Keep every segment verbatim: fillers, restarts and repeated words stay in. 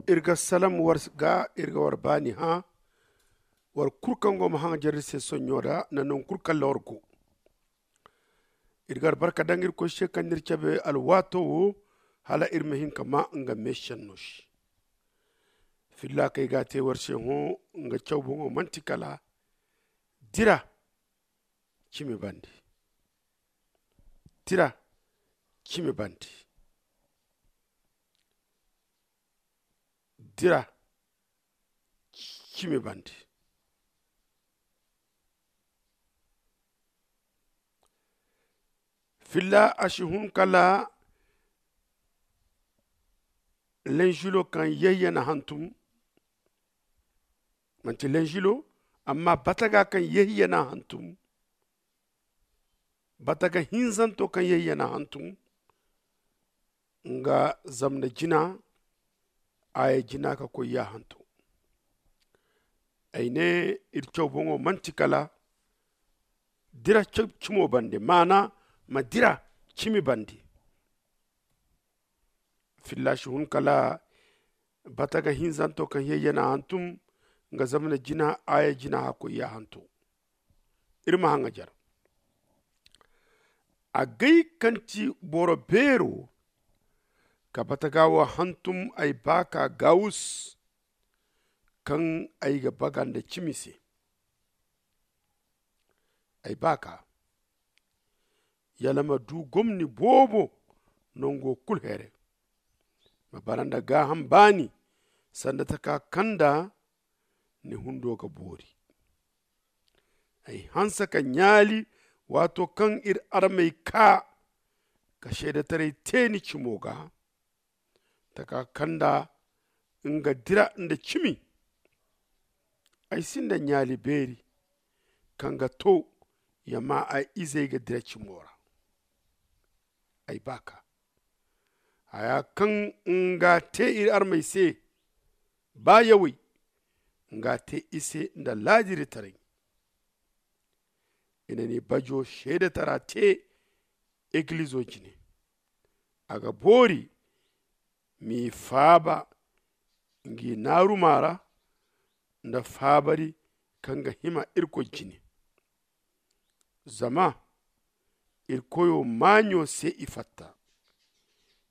Iri ga salam war ga iri ga war baani hã. War kulu kaŋ go ma haŋajar iri se sonɲo ra nda nangu kulu kaŋ ra war go. Iri ga albarka daŋ irkoy se kaŋ n'iri cabe alwaato wo hala iri ma hin ka maa nga meesenno se. Filla kaŋ ay ga a te war se hõ, nga caw boŋo manti kala dira cimi bande. Dira cimi bande. Dira cimi bande. Filla a si hun kala lenjilo kaŋ yayya na hantum. Manti lenjilo, amma bataga kaŋ yayya na hantum. Bataga hinzanto kaŋ yayya na hantum. Nga zamna jina aya jina ka koy ya hanto. Ay ne iri caw boŋo manti kala dira cimo bande maana ma dira cimi bande. Filla si hun kala bataga hinzanto kaŋ yayya na hantum. Nga zamna jina aya jina hakkoy ya hanto. Iri ma haŋajar agay kaŋ ti boro beero ka bataga wo hantum ay baaka gawus kaŋ ay ga baga nda cimi se. Ay baaka yala ma du gomni boobo nango kulu here. Ma bara nda gaaham baani sanda taka kaŋ nda ni hundo ga boori. Ay hanse ka ɲaali waato kaŋ iri armey kaa ka seedetaray te ni cimo ga taka kaŋ nda nga dira nda cimi. Ay sinda ɲaali beeri kaŋ ga to ya ma ay izey ga dira cimo ra. Ay baaka haya kaŋ nga te iri armey se ba yawey nga te i se nda laadiritarey. I na ni bajo seedetara te egilizo jine. A ga boori m'i faaba ngi naaruma ra nda faabari kaŋ ga hima irkoy jine. Zama irkoyo maaɲo se i fatta.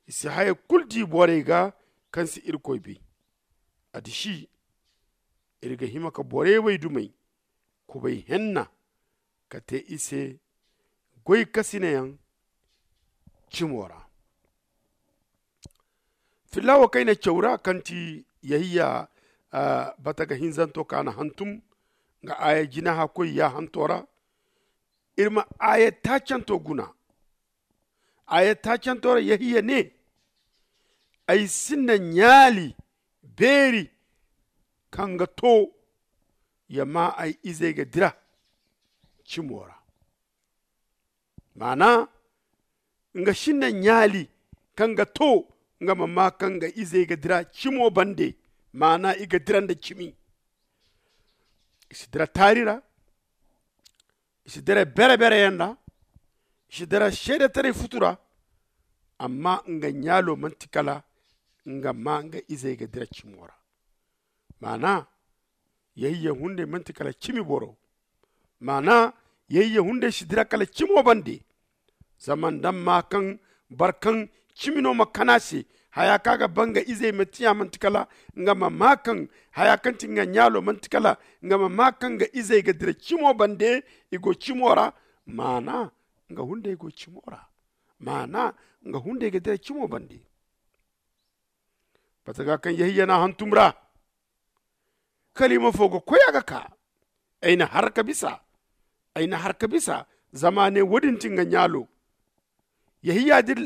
I si haya kulu di borey ga kaŋ si irkoy bay. A disi iri ga hima ka borey waydumey kubay henna ka te i se goy kasinayaŋ cimo ra. Filla wo kaŋ ay na caw ra kaŋ ti yahiya bataga hinzanto kaŋ a na hantum nga aaya jina hakkoy ya hanto ra. Iri ma aaya taacanto guna. Aaya taacanto ra yahiya ne ay sinda ɲaali beeri kaŋ ga to ya ma ay izey ga dira cimo ra. Maana nga sinda ɲaali kaŋ ga to nga ma maa kaŋ nga izey ga dira cimo bande. Maana i ga dira nda cimi. I si dira taari ra. I si dira bere-bereyaŋ ra. I si dira seedetaray futu ra. Amma nga ɲaalo manti kala nga maa nga izey ga dira cimo ra. Maana yahiya hunday manti kala cimi boro. Maana yahiya hunday si dira kala cimo bande. Zama nda ma maa kaŋ boro kaŋ cimi no ma kana se haya kaŋ a ga ba nga izey ma tiya manti kala nga ma maa kaŋ haya kaŋ ti nga ɲaalo manti kala nga ma maa kaŋ nga izey ga dira cimo bande. I go cimo ra. Maana nga hunday go cimo ra. Maana nga hunday ga dira cimo bande. Bataga kaŋ yahiya na hantum ra kaliima fo ga koy a ga kaa. Ay na har ka bisa. Ay na har ka bisa. Zama a ne wo- din ti nga ɲaalo. Yahiya din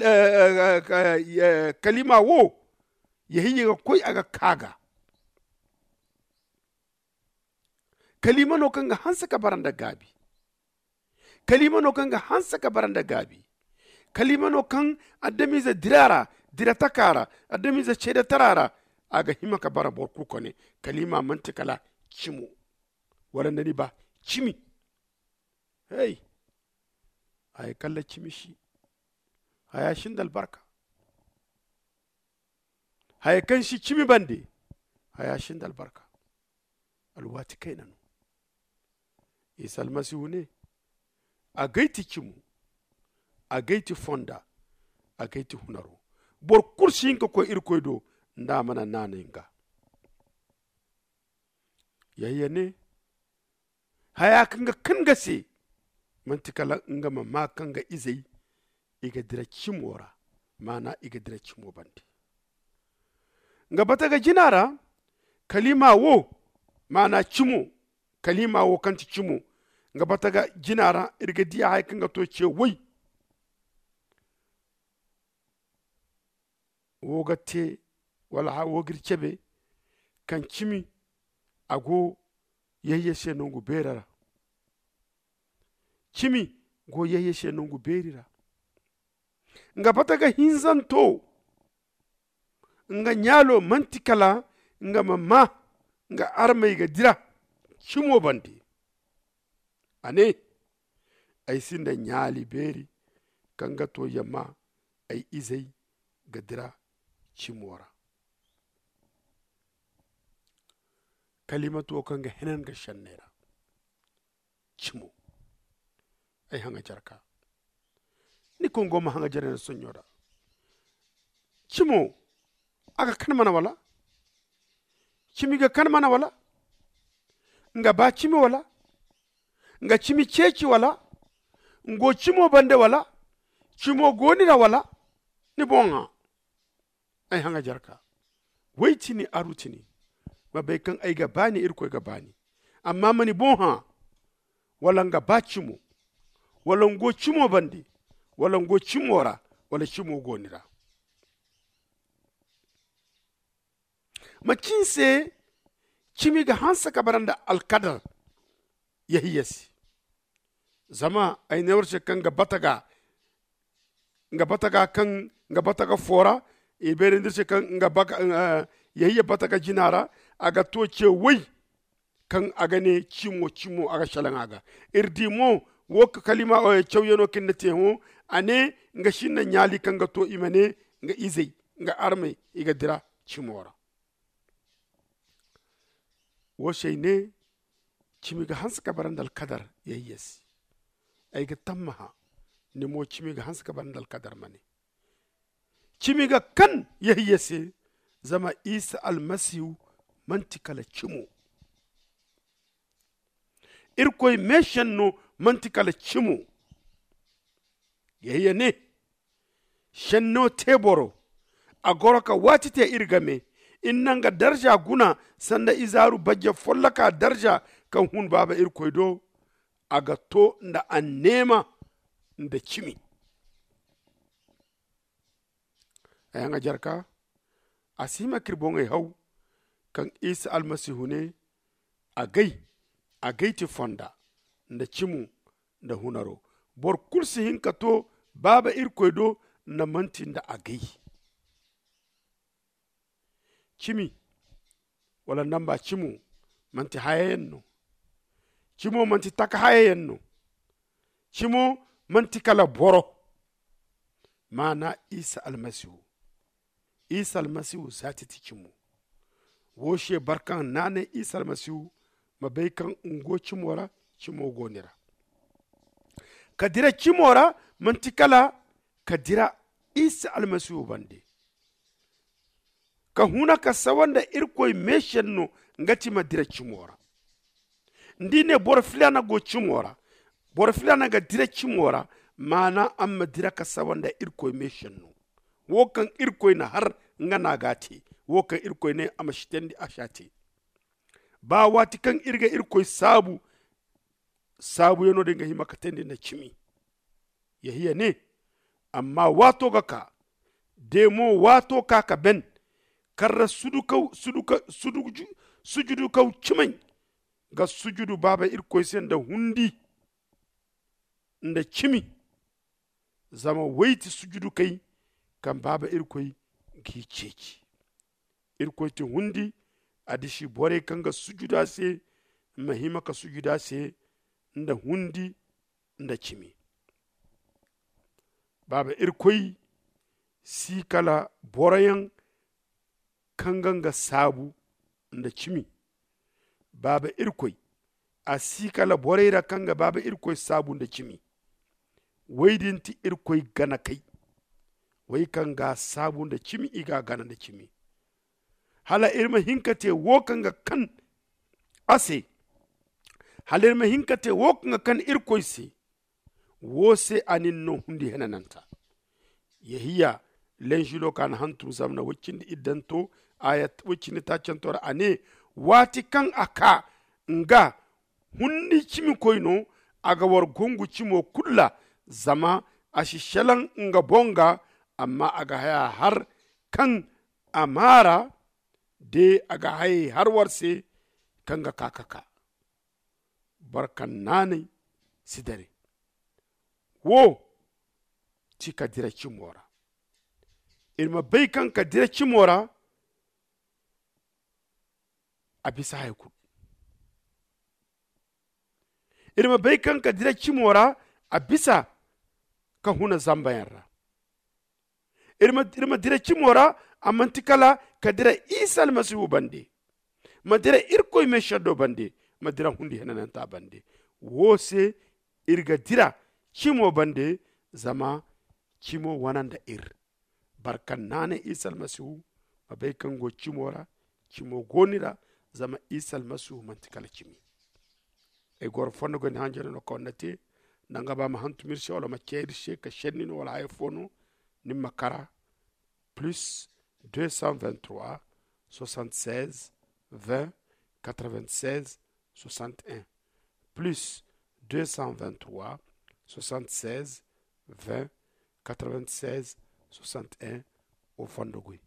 kaliima wo yahiya ga koy a ga kaa ga. Kaliima no kaŋ ga hanse ka bara nda gaabi. Kaliima no kaŋ ga hanse ka bara nda gaabi. Kaliima no kaŋ adamize dira ra, dira taka ra, adamize ceede tara ra. A ga hima ka bara boro kulu kone. Kaliima manti kala cimo. Wala nda ni ba cimi. Hey. Haya kala cimi si. Haya sinda albarka. Haya kaŋ si cimi bande, haya si nda albarka. Alwaati kayna no. Isa almasihu ne, agay ti cimo, agay ti fonda, agay ti hunaro. Boro kulu si hin ka koy irkoy do nda a mana naanay nga. Yayya ne, haya kaŋ ga kan ga se, manti kala nga ma maa kaŋ ga izey i ga dira cimo ra. Maana i ga dira cimo bande. Nga bata ga jina ra, kalima wo, maana cimo, kalima wo kaŋ ti cimo, nga bata ga jina ra iri ga diya haya kaŋ ga to ce woy. Wo ga te wala wo ga iri cebe kaŋ cimi a go yayya se nangu beera ra. Cimi go yayya se nangu beeri ra. Nga bata ga hinzanto nga ɲaalo manti kala nga ma maa nga armey ga dira cimo bande. A ne, ay sinda ɲaali beeri kaŋ ga to yamma ay izey ga dira cimo ra. Kalimato kaŋ ga henan ga sanney ra. Cimo ay haŋa jarka. Ni kongo ma haŋa jarey na sonɲo da. Cimo a ga kan mana wala? Cimi ga kan mana wala? Nga ba cimi wala? Nga cimi ceeci wala? Ngo cimo bande wala? Cimo goni ra wala? Ni boŋa ay haŋa jarka. Way tini aru tini ma bay kaŋ ay ga baani irkoy ga baani. Amma mani boŋ hã wala nga ba cimo wala ngo cimo bande wala ngo cimo ra wala cimo goni ra. Macin se cimi ga hanse ka bara nda alkadar yahiya se. Zama ay ne war se kaŋ ga bata ga nga bata ga kaŋ nga bata ga fora. I beerandi se kaŋ nga baka yahiya bata ga jina ra a ga to ce way kaŋ a ga ne cimo cimo a ga salaŋ a ga. Iri di mo wo ka kalima cawyano kaŋ ni te hõ a ne nga sinda ɲaali kaŋ ga to i ma ne nga izey nga armey i ga dira cimo ra. Wo se ay ne cimi ga hanse ka bara nda alkadar yahiya se. Ay ga tammaha ni mo cimi ga hanse ka bara nda alkadar ma ne cimi ga kan yahiya se. Zama isa almasihu manti kala cimo. Irkoy meesenno manti kala cimo. Yahiya ne senno te boro a goro ka waati te iri game. Iri na nga darza guna sanda izaaru bajje folloka darza kaŋ hun baaba irkoy do. A ga to nda anneema nda cimi. Ay haŋa jarka a si hima ka iri boŋey haw kaŋ isa almasihu ne agay agay ti fonda nda cimo nda hunaro. Boro kulu si hin ka to baaba irkoy do nda manti nda agay. Cimi wala namba cimo manti hayayaŋ no. Cimo manti taka hayayaŋ no. Cimo manti kala boro. Maana isa almasihu isa almasihu zaati ti cimo. Wo se boro kaŋ naanay isa almasihu ma bay kaŋ nga go cimo ra cimo go ni ra. Ka dira cimo ra manti kala ka dira isa almasihu bande. Ka huna ka sawa nda irkoy meesenno nga ti ma dira cimo ra. Nda i ne boro filaana go cimo ra boro filaana ga dira cimo ra. Maana a ma dira ka sawa nda irkoy meesenno. Wo kaŋ irkoy na har nga no a ga a te. Wo kaŋ irkoy ne a ma sitandi a si a te. Ba waati kaŋ iri ga irkoy saabu saabuyaŋo din ga hima ka teendi nda cimi. Yahiya ne amma waato ga kaa de mo waato ka ka ben karra sudukaw sudukaw sudukaw cimey ga sujudu baaba irkoy se nda hundi nda cimi. Zama way ti sujudukey kaŋ baaba irkoy g'i ceeci. Irkoy ti hundi a disi borey kaŋ ga sujudu a se ma hima ka sujudu a se nda hundi nda cimi. Baaba irkoy si kala boroyaŋ kaŋ ga nga saabu nda cimi. Baaba irkoy, a si kala borey ra kaŋ ga baaba irkoy saabu nda cimi. Wey din ti irkoy ganakey, wey kaŋ ga a saabu nda cimi, i ga a gana nda cimi. Hala iri ma hin ka te wo kaŋ ga kan a se. Hala iri ma hin ka te wo kaŋ ga kan irkoy se. Wo se a nin no hundi henananta. Yehiya, lenžilo ka na hantum zamna woy cindi iddanto, aya woy cindi taacanto ra a ne, waati kaŋ a ka nga hundi cimikoy no, a ga war gongu cimo kulu ra. Zama a si selaŋ nga boŋ ga, amma a ga haya har kaŋ a maara de a ga hayey har war se kaŋ ga ka ka ka. Boro kaŋ naanay si dare. Wo ti ka dira cimo ra. Iri ma bay kaŋ ka dira cimo ra a bisa hari kulu. Iri ma bay kaŋ ka dira cimo ra a bisa ka huna zambayaŋ ra. Iri ma dira cimo ra a manti kala ka dira isa almasihu bande. Ma dira irkoy meeseddo bande. Ma dira hundi henananta bande. Wo se iri ga dira cimo bande. Zama cimo wane nda iri. Boro kaŋ naanay isa almasihu ma bay kaŋ go cimo ra. Cimo go ni ra. Zama isa almasihu manti kala cimi. Ay goro fondo ga ni hanjano no kaŋ ni na te. Nda nga ba ma hantum iri se wala ma ce iri se ka senni no wala haya fo no. Ni ma kara plus deux cent vingt-trois soixante-seize vingt quatre-vingt-seize soixante-un, plus deux cent vingt-trois soixante-seize vingt quatre-vingt-seize soixante-un. Wo fondo goy.